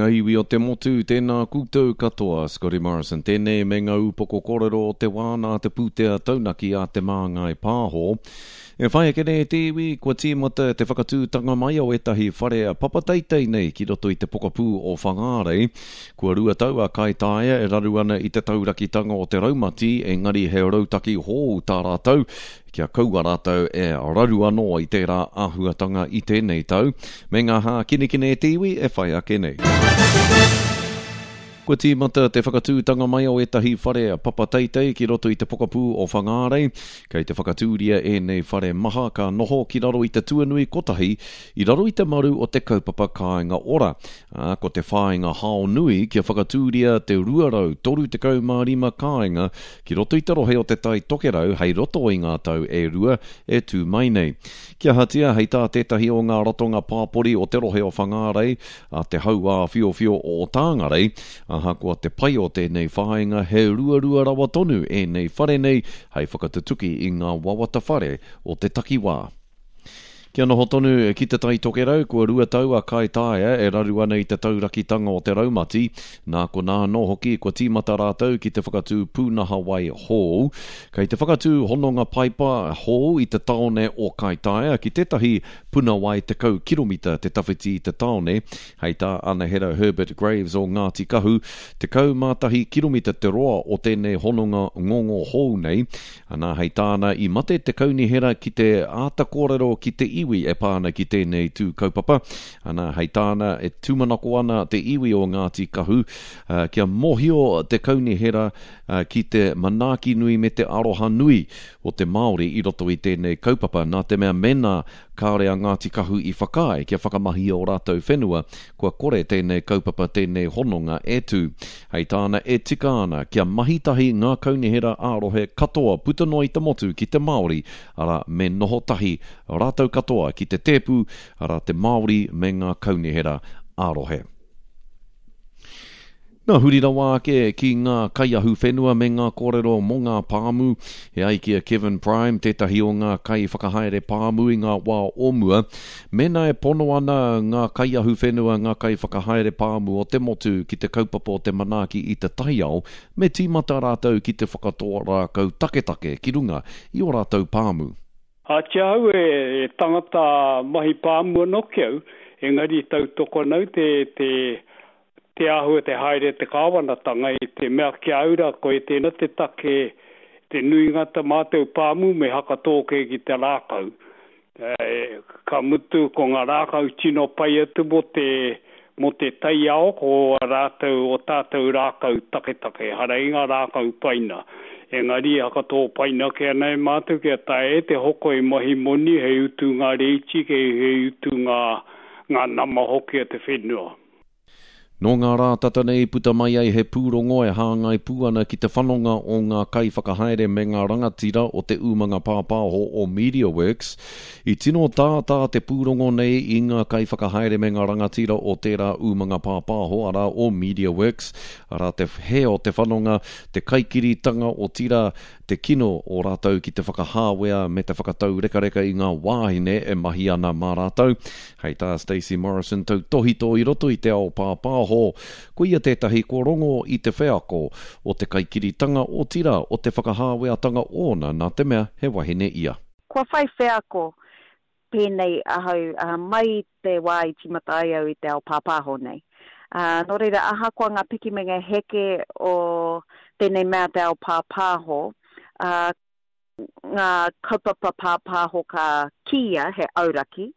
Nga iwi o te motu, tēnā koutou katoa, Scotty Morrison tēnei me ngā upoko kōrero o te wā nā te pūtea taunaki a Te Māngai Pāho. E whai ake nei te iwi, kua tīmata te whakatūtanga mai o ētahi whare papa teitei nei ki roto i te pokapū o Whangārei. Kua 2 tau a Kaitaia e raru ana i te taurakitanga o te raumati, engari he rautaki hou tā rātou Kia kaua rātou e raru anō i tērā āhuatanga i tēnei tau, me ngā hākinakina e te iwi e whai ake nei. Kua tīmata te whakatūtanga mai o ētahi whare papa teitei ki roto i te pokapū o Whangārei. Kei te whakatūria ēnei whare maha ka noho ki raro i te tuanui kotahi i raro i te maru o te kaupapa Kāinga Ora, ā, ko te whāinga hao nui kia whakatūria te 235 kāinga ki roto i te rohe o Te Tai Tokerau hei roto i ngā tau e rua e tū mai nei. Kia ahatia, hei tā tētahi o ngā ratonga pāpori o te rohe o Whangārei, a Te Hauāwhiowhio o Tāngarei, ahakoa te pai o tēnei whāinga he ruarua rawa tonu ēnei whare nei hei whakatutuki i ngā wawata whare o te takiwā. Kia noho tonu ki Te Tai Tokerau, kua 2 tau a Kaitaia e raru ana i te taurakitanga o te raumati, nā konā anō hoki kua tīmata rātou ki te whakatū pūnaha wai hou. Kei te whakatū hononga paipa hou i te taone o Kaitaia ki tētahi puna wai 10 kiromita te tawhiti i te taone, hei tā Anahera Herbert Graves o Ngāti Kahu, 11 kiromita te roa o tēnei hononga ngongo hou nei, Anā, hei tāna, i mate te kaunihera ki te āta kōrero ki te iwi e pā ana ki tēnei tū kaupapa. Anā, hei tāna, e tūmanako ana te iwi o Ngāti Kahu kia mōhio te kaunihera ki te manaaki nui me te aroha nui o te Māori i roto i tēnei kaupapa, nā te mea mēnā kāore a Ngāti Kahu i whakaae kia whakamahia ō rātou whenua, kua kore tēnei kaupapa, tēnei hononga e tū. Hei tāna, e tika ana kia mahi tahi ngā kaunihera ā-rohe katoa puta noa i te motu ki te Māori, arā, me noho tahi rātou katoa ki te tēpu, arā, te Māori me ngā kaunihera ā-rohe. Nā, huri rawa ake ki ngā kaiahuwhenua me ngā kōrero mō ngā pāmu. E ai ki a Kevin Prime, tētahi o ngā kaiwhakahaere pāmu i ngā wā o mua, mēnā e pono ana ngā kaiahuwhenua, ngā kaiwhakahaere pāmu o te motu ki te kaupapa o te manaaki i te taiao, me tīmata rātou ki te whakatō rākau taketake ki runga i ō rātou pāmu. Ati ahau e tangata mahi pāmu anō ki au, engari tautoko ana au te, te, te āhua te haere te kāwanatanga i te mea ki a au rā koe tēnā te take te nuinga ta mātou pāmu me hakatō kē ki te rākau. Ka mutu ko ngā rākau tino pai atu mō te, mō te taiao ko ā rātou, ō tātou rākau taketake, ehara i ngā rākau paina. Engari e hakatō paina ake ana e mātou kia taea e te hoko e mahi moni hei utu ngā rēiti, hei utu ngā, ngā nama hoki a te whenua. Nō ngā rā tata nei i puta mai ai he pūrongo e hāngai pū ana ki te whanonga o ngā kaiwhakahaere me ngā rangatira o te umanga pāpāho o MediaWorks. I tino tātā te pūrongo nei i ngā kaiwhakahaere me ngā rangatira o tērā umanga pāpāho, arā, o MediaWorks, arā te hē o te whanonga, te kaikiritanga, otirā, te kino o rātou ki te whakahāwea me te whakataurekareka i ngā wāhine e mahi ana mā rātou. Hei tā Stacey Morrison tautōhito i roto i te ao pāpāho, ko ia tētahi kua rongo i te wheako o te kaikiritanga, otirā, o te whakahāweatanga ōna nā te mea he wahine ia. Kua whai wheako pēnei ahau mai i te wā i tīmata ai au i te ao pāpāho nei. Nō reira, ahakoa ngā piki me ngā heke o tēnei mea te ao pāpāho, ngā kaupapa pāpāho ka kīia he auraki,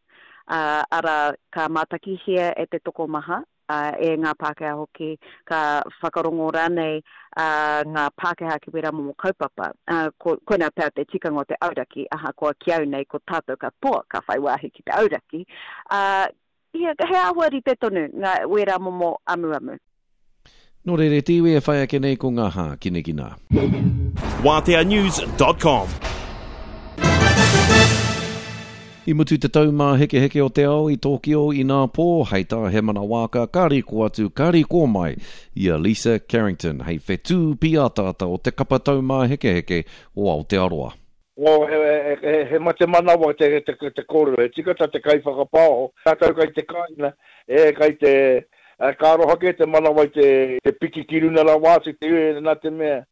arā, ka mātakihia e te tokomaha, e ngā Pākehā hoki, ka whakarongo rānei ngā Pākehā ki wērā momo kaupapa. Ko, koinā pea te tikanga o te auraki, ahakoa ki au nei ko tātou katoa ka whai wāhi ki te auraki, ā, he āhua rite tonu ngā, wērā momo amuamu. Nō reira e te iwi e whai ake nei ko ngā hākinakina. Wāteanews.com. I mutu te Taumāhekeheke o te Ao i Tōkio inapō, hei tā Hemana Waaka, ka riko atu, ka riko mai i a Lisa Carrington hei whetū pīataata o te kapa Taumāhekeheke o Aotearoa. Oh, he, he, he mate manawa te, te, te kōrero, he tika tā te kaiwhakapaoho, tātou kai te kāinga, e, kai te, Ka aroha kē te manawa i te piki ki runa rawa atu te nā te mea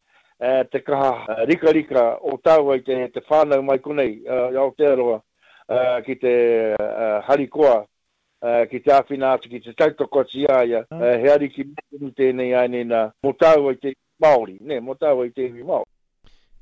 te kaha rikarika o tāua i te whānau mai konei i Aotearoa ki te harikoa ki te āwhina atu, ki te tautoko atu i a ia, he ariki tonu tēnei āinei nā mō tāua i te iwi Māori, nē, mō tāua i te iwi Māori.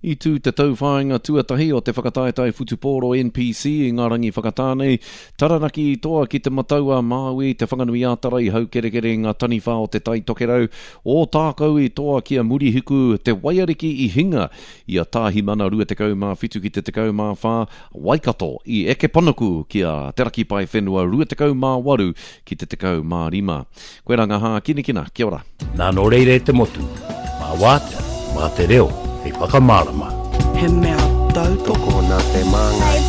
I tū te tauwhāinga tuatahi o te whakataetae whutupōro NPC i ngā rangi whakatā nei, Taranaki i toa ki Te Matau-a-Māui, Te Whanganui-ā-Tara i haukerekere i ngā taniwha o Te Tai Tokerau, Ōtākou i toa ki a Murihiku, Te Waiariki i hinga i a Tāhimana 27 ki te 14, Waikato i eke panuku ki a Te Raki Paewhenua 28 ki te 15. Koirā ngā hākinakina, kia ora. Nā nō reira e te motu, mā wātea, mā te reo hei whakamārama. He mea tautoko. Tokona te māngai.